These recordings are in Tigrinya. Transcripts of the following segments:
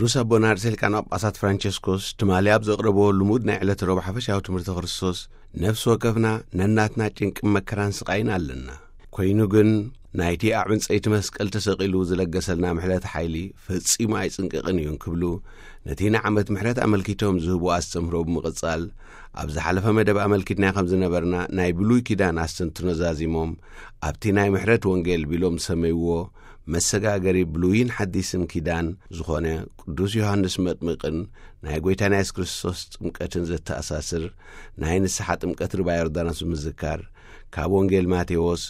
ቅዱስ ኣቦና ርእሰ ሊቃነ ጳጳሳት ፍራንቸስኮስ ትማሊ ኣብ ዘቕረብዎ ልሙድ ናይ ዕለተ ረቡዕ ሓፈሻዊ ትምህርቲ ክርስቶስ፣ ነፍሲ ወከፍና ነናትና ጭንቅን መከራን ስቓይን ኣለና። ኮይኑ ግን ናይቲ ኣብ ዕንጸይቲ መስቀል ተሰቒሉ ዝለገሰልና ምሕረት ሓይሊ ፈጺሙ ኣይጽንቅቕን እዩ እንክብሉ፣ ነቲ ንዓመት ምሕረት ኣመልኪቶም ዝህቡ ኣስተምህሮ ብምቕጻል፣ ኣብ ዝሓለፈ መደብ ኣመልኪትና ከም ዝነበርና ናይ ብሉይ ኪዳን ኣስተንትኖ ዛዚሞም፣ ኣብቲ ናይ ምሕረት ወንጌል ቢሎም ዝሰመይዎ መሰጋገሪ ብሉይን ሓዲስን ኪዳን ዝኾነ ቅዱስ ዮሃንስ መጥምቕን ናይ ጐይታና የሱስ ክርስቶስ ጥምቀትን ዘተኣሳስር ናይ ንስሓ ጥምቀት ርባ ዮርዳኖስ ብምዝካር፣ ካብ ወንጌል ማቴዎስ፣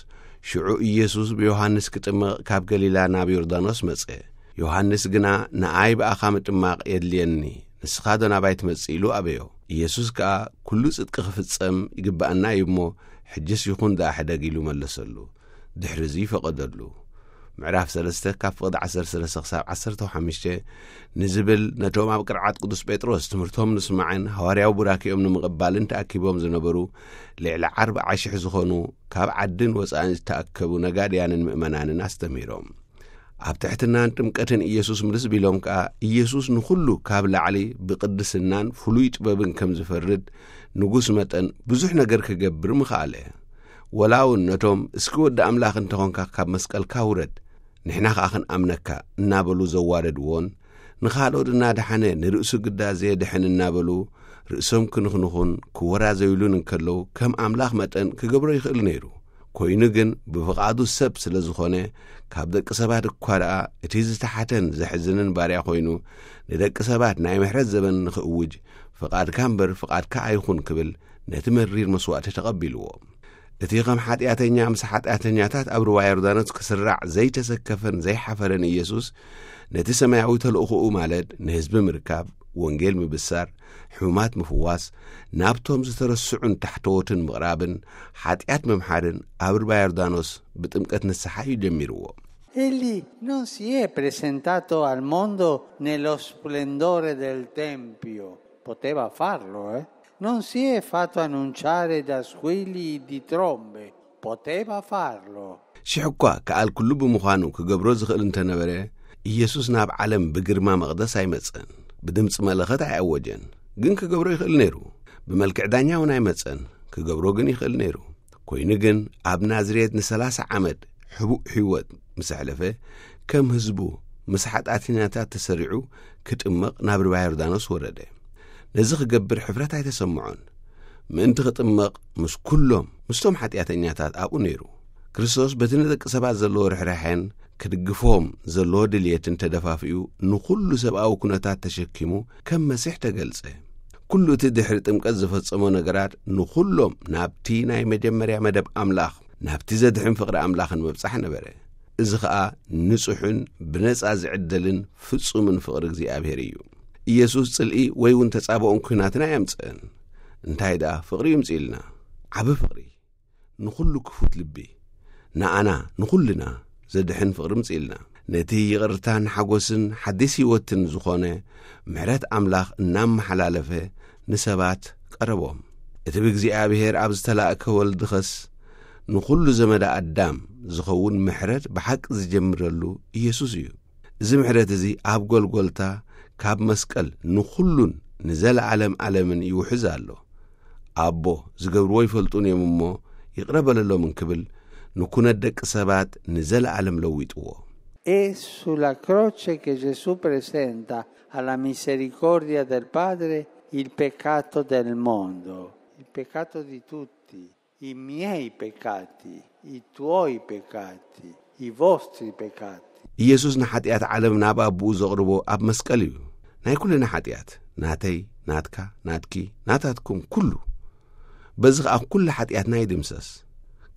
ሽዑ ኢየሱስ ብዮሃንስ ክጥመቕ ካብ ገሊላ ናብ ዮርዳኖስ መጸ። ዮሃንስ ግና፣ "ንኣይ ብኣኻ ምጥማቕ የድልየኒ፣ ንስኻዶ ናባይ ትመጽእ?" ኢሉ ኣበዮ። ኢየሱስ ከኣ፣ "ኩሉ ጽድቂ ክፍጸም ይግብኣና እዩ እሞ፣ ሕጅስ ይኹን ደኣ ሕደግ" ኢሉ መለሰሉ። ድሕሪ እዚ ፈቐደሉ። ምዕራፍ ሰለስተ ካብ ፍቕዲ ዓሰርተ ሰለስተ ክሳብ ዓሰርተ ሓሙሽተ ንዝብል ነቶም ኣብ ቅርዓት ቅዱስ ጴጥሮስ ትምህርቶም ንስማዕን ሃዋርያዊ ቡራኪኦም ንምቕባልን ተኣኪቦም ዝነበሩ ልዕሊ ኣርብዓ ሽሕ ዝኾኑ ካብ ዓድን ወጻእን ዝተኣከቡ ነጋድያንን ምእመናንን ኣስተምህሮም። ኣብ ትሕትናን ጥምቀትን ኢየሱስ ምልስ ቢሎም ከኣ፣ ኢየሱስ ንኹሉ ካብ ላዕሊ ብቅድስናን ፍሉይ ጥበብን ከም ዝፈርድ ንጉስ መጠን ብዙሕ ነገር ክገብር ምኽኣለ። ወላ እውን ነቶም፣ "እስኪ ወዲ ኣምላኽ እንተኾንካ ካብ መስቀልካ ውረድ፣ ንሕና ኸኣ ክንኣምነካ" እናበሉ ዘዋረድዎን፣ ንኻልኦት እናደሓነ ንርእሱ ግዳ ዘየድሕን እናበሉ ርእሶም ክንኽንኹን ክወራዘዩሉን እንከለዉ፣ ከም ኣምላኽ መጠን ክገብሮ ይኽእል ነይሩ። ኮይኑ ግን ብፍቓዱ ሰብ ስለ ዝኾነ፣ ካብ ደቂ ሰባት እኳ ደኣ እቲ ዝተሓተን ዘሕዝንን ባርያ ኮይኑ፣ ንደቂ ሰባት ናይ ምሕረት ዘበን ንኽእውጅ፣ "ፍቓድካ እምበር ፍቓድካ ኣይኹን" ክብል ነቲ መሪር መስዋእቲ ተቐቢልዎ። እቲ ከም ሓጢኣተኛ ምስ ሓጢኣተኛታት ኣብ ሩባ ዮርዳኖስ ክስራዕ ዘይተሰከፈን ዘይሓፈረን ኢየሱስ፣ ነቲ ሰማያዊ ተልእኾኡ፣ ማለት ንህዝቢ ምርካብ፣ ወንጌል ምብሳር፣ ሕሙማት ምፍዋስ፣ ናብቶም ዝተረስዑን ታሕተዎትን ምቕራብን፣ ሓጢኣት ምምሓርን ኣብ ሩባ ዮርዳኖስ ብጥምቀት ንስሓ እዩ ጀሚርዎ። Egli non si è presentato al mondo nello splendore del tempio, poteva farlo, eh? Non si è fatto annunciare da squilli di trombe, poteva farlo. ሽሕ እኳ ከኣል ኩሉ ብምዃኑ ክገብሮ ዝኽእል እንተነበረ፣ ኢየሱስ ናብ ዓለም ብግርማ መቕደስ ኣይመጸን፣ ብድምጺ መለኸት ኣይኣወጀን። ግን ክገብሮ ይኽእል ነይሩ። ብመልክዕ ዳኛ እውን ኣይመጸን፣ ክገብሮ ግን ይኽእል ነይሩ። ኮይኑ ግን ኣብ ናዝሬት ንሰላሳ ዓመት ሕቡእ ህይወት ምስ ኣሕለፈ፣ ከም ህዝቡ ምስ ሓጢኣተኛታት ተሰሪዑ ክጥመቕ ናብ ሩባ ዮርዳኖስ ወረደ። ነዚ ክገብር ሕፍረት ኣይተሰምዖን። ምእንቲ ክጥመቕ ምስ ኩሎም፣ ምስቶም ሓጢኣተኛታት ኣብኡ ነይሩ። ክርስቶስ በቲ ንደቂ ሰባት ዘለዎ ርሕራሐን ክድግፎም ዘለዎ ድልየትን ተደፋፊኡ ንኹሉ ሰብኣዊ ኩነታት ተሸኪሙ ከም መሲሕ ተገልጸ። ኩሉ እቲ ድሕሪ ጥምቀት ዝፈጸሞ ነገራት ንኹሎም ናብቲ ናይ መጀመርያ መደብ ኣምላኽ፣ ናብቲ ዘድሕን ፍቕሪ ኣምላኽን መብጻሕ ነበረ። እዚ ኸኣ ንጹሕን ብነጻ ዝዕደልን ፍጹምን ፍቕሪ እግዚኣብሔር እዩ። ኢየሱስ ጽልኢ ወይ እውን ተጻብኦን ኲናትን ኣየምጽእን። እንታይ ደኣ ፍቕሪ ይምጽእልና? ዓቢ ፍቕሪ፣ ንኹሉ ክፉት ልቢ፣ ንኣና ንኹልና ዘድሕን ፍቕሪ ምጽእልና። ነቲ ይቕርታን ሓጎስን ሓዲስ ህይወትን ዝኾነ ምሕረት ኣምላኽ እናመሓላለፈ ንሰባት ቀረቦም። እቲ ብእግዚኣብሔር ኣብ ዝተላእከ ወልድኸስ ንኹሉ ዘመደ ኣዳም ዝኸውን ምሕረት ብሓቂ ዝጀምረሉ ኢየሱስ እዩ። እዚ ምሕረት እዚ ኣብ ጎልጎልታ ካብ መስቀል ንኹሉን ንዘለዓለም ዓለምን ይውሕዝ ኣሎ። ኣቦ፣ ዝገብርዎ ይፈልጡን እዮም እሞ ይቕረ በለሎም እንክብል ንኩነት ደቂ ሰባት ንዘለዓለም ለዊጥዎ። È sulla croce che Gesù presenta alla misericordia del Padre il peccato del mondo, il peccato di tutti, i miei peccati, i tuoi peccati, i vostri peccati. ኢየሱስ ንሓጢኣት ዓለም ናብ ኣቦኡ ዘቕርቦ ኣብ መስቀል እዩ። ናይ ኩልና ሓጢኣት፣ ናተይ፣ ናትካ፣ ናትኪ፣ ናታትኩም፣ ኩሉ። በዚ ኸኣ ኩሉ ሓጢኣትና ይድምሰስ።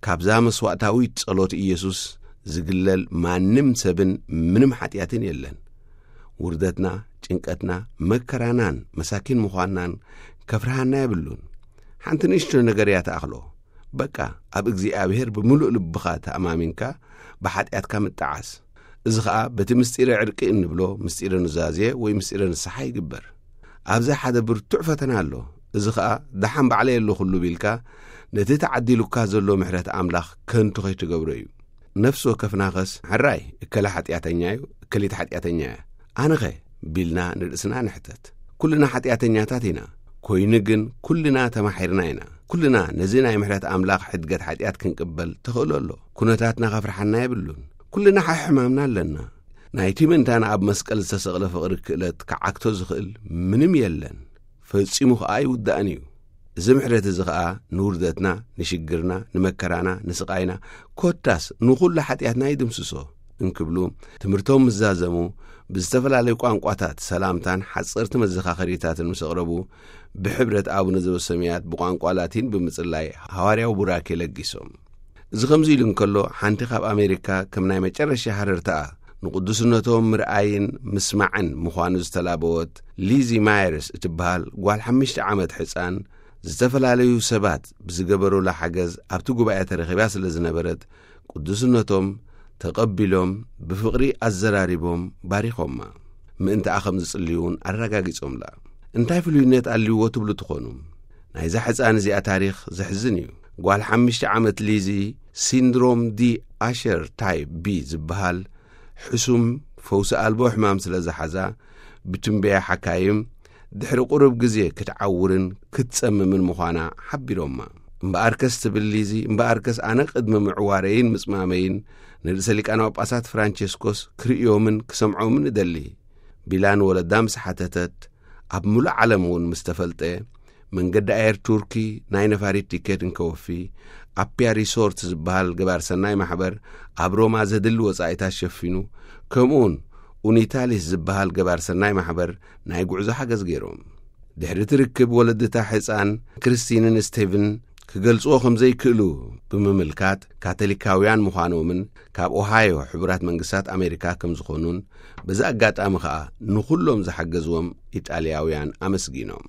ካብዛ መስዋእታዊት ጸሎት ኢየሱስ ዝግለል ማንም ሰብን ምንም ሓጢኣትን የለን። ውርደትና፣ ጭንቀትና፣ መከራናን መሳኪን ምዃንናን ከፍርሃና የብሉን። ሓንቲ ንእሽቶ ነገር እያ ትኣኽሎ። በቃ፣ ኣብ እግዚኣብሔር ብምሉእ ልብኻ ተኣማሚንካ ብሓጢኣትካ ምጠዓስ። እዚ ኸኣ በቲ ምስጢረ ዕርቂ እንብሎ ምስጢረ ኑዛዜ ወይ ምስጢረ ንስሓ ይግበር። ኣብዚ ሓደ ብርቱዕ ፈተና ኣሎ። እዚ ኸኣ ደሓን ባዕለይ ኣለኹሉ ቢልካ ነቲ ተዓዲሉካ ዘሎ ምሕረት ኣምላኽ ከንቱ ከይትገብሮ እዩ። ነፍሲ ወከፍናኸስ፣ ሕራይ፣ እከለ ሓጢኣተኛ እዩ፣ እከሊት ሓጢኣተኛ እያ። ኣነኸ? ቢልና ንርእስና ንሕተት። ኩልና ሓጢኣተኛታት ኢና። ኮይኑ ግን ኩልና ተማሒርና ኢና። ኩልና ነዚ ናይ ምሕረት ኣምላኽ ሕድገት ሓጢኣት ክንቅበል ተኽእሎ ኣሎ። ኩነታትና ከፍርሓና የብሉን። ኩልና ሓሕማምና ኣለና። ናይቲ ምእንታና ኣብ መስቀል ዝተሰቕለ ፍቕሪ ክእለት ክዓግቶ ዝኽእል ምንም የለን። ፈጺሙ ኸኣ ኣይውዳእን እዩ። እዚ ምሕረት እዚ ኸኣ ንውርደትና፣ ንሽግርና፣ ንመከራና፣ ንስቓይና፣ ኮታስ ንኹሉ ሓጢኣትና ይድምስሶ እንክብሉ ትምህርቶም ምስ ዛዘሙ፣ ብዝተፈላለዩ ቋንቋታት ሰላምታን ሓጸርቲ መዘኻኸሪታትን ምስ ኣቕረቡ፣ ብሕብረት ኣቡነ ዘበሰማያት ብቋንቋ ላቲን ብምጽላይ ሃዋርያዊ ቡራኬ ለጊሶም። እዚ ከምዚ ኢሉ እንከሎ፣ ሓንቲ ካብ ኣሜሪካ ከም ናይ መጨረሻ ሃረርታኣ ንቕዱስነቶም ምርኣይን ምስማዕን ምዃኑ ዝተላበወት ሊዚ ማየርስ እትበሃል ጓል ሓሙሽተ ዓመት ሕጻን፣ ዝተፈላለዩ ሰባት ብዝገበሩላ ሓገዝ ኣብቲ ጉባኤ ተረኺባ ስለ ዝነበረት፣ ቅዱስነቶም ተቐቢሎም ብፍቕሪ ኣዘራሪቦም ባሪኾማ። ምእንታኣ ከም ዝጽልዩ እውን ኣረጋጊጾምላ። እንታይ ፍሉይነት ኣልይዎ ትብሉ ትኾኑ? ናይዛ ሕጻን እዚኣ ታሪኽ ዘሕዝን እዩ። ጓል ሓሙሽተ ዓመት ሊዚ፣ ሲንድሮም ዲ ኣሸር ታይፕ ቢ ዝበሃል ሕሱም ፈውሲ ኣልቦ ሕማም ስለ ዝሓዛ፣ ብትንበያ ሓካይም ድሕሪ ቁሩብ ግዜ ክትዓውርን ክትጸምምን ምዃና ሓቢሮማ። እምበኣርከስ ትብል ሊዚ፣ እምበኣርከስ ኣነ ቅድሚ ምዕዋረይን ምጽማመይን ንርእሰ ሊቃነ ጳጳሳት ፍራንቸስኮስ ክርእዮምን ክሰምዖምን እደሊ። ቢላ ንወለዳ ምስ ሓተተት፣ ኣብ ምሉእ ዓለም እውን ምስ ተፈልጠ፣ መንገዲ ኣየር ቱርኪ ናይ ነፋሪት ቲኬት እንከወፊ፣ ኣፕያ ሪሶርት ዝበሃል ገባር ሰናይ ማሕበር ኣብ ሮማ ዘድሊ ወጻኢታት ሸፊኑ፣ ከምኡውን ኡኒታሊስ ዝበሃል ገባር ሰናይ ማሕበር ናይ ጉዕዞ ሓገዝ ገይሮም። ድሕሪ እቲ ርክብ ወለድታ ሕጻን ክርስቲንን ስቴቭን ክገልጽዎ ከም ዘይክእሉ ብምምልካት፣ ካቶሊካውያን ምዃኖምን ካብ ኦሃዮ ሕቡራት መንግስታት ኣሜሪካ ከም ዝኾኑን፣ በዚ ኣጋጣሚ ኸኣ ንኹሎም ዝሓገዝዎም ኢጣልያውያን ኣመስጊኖም።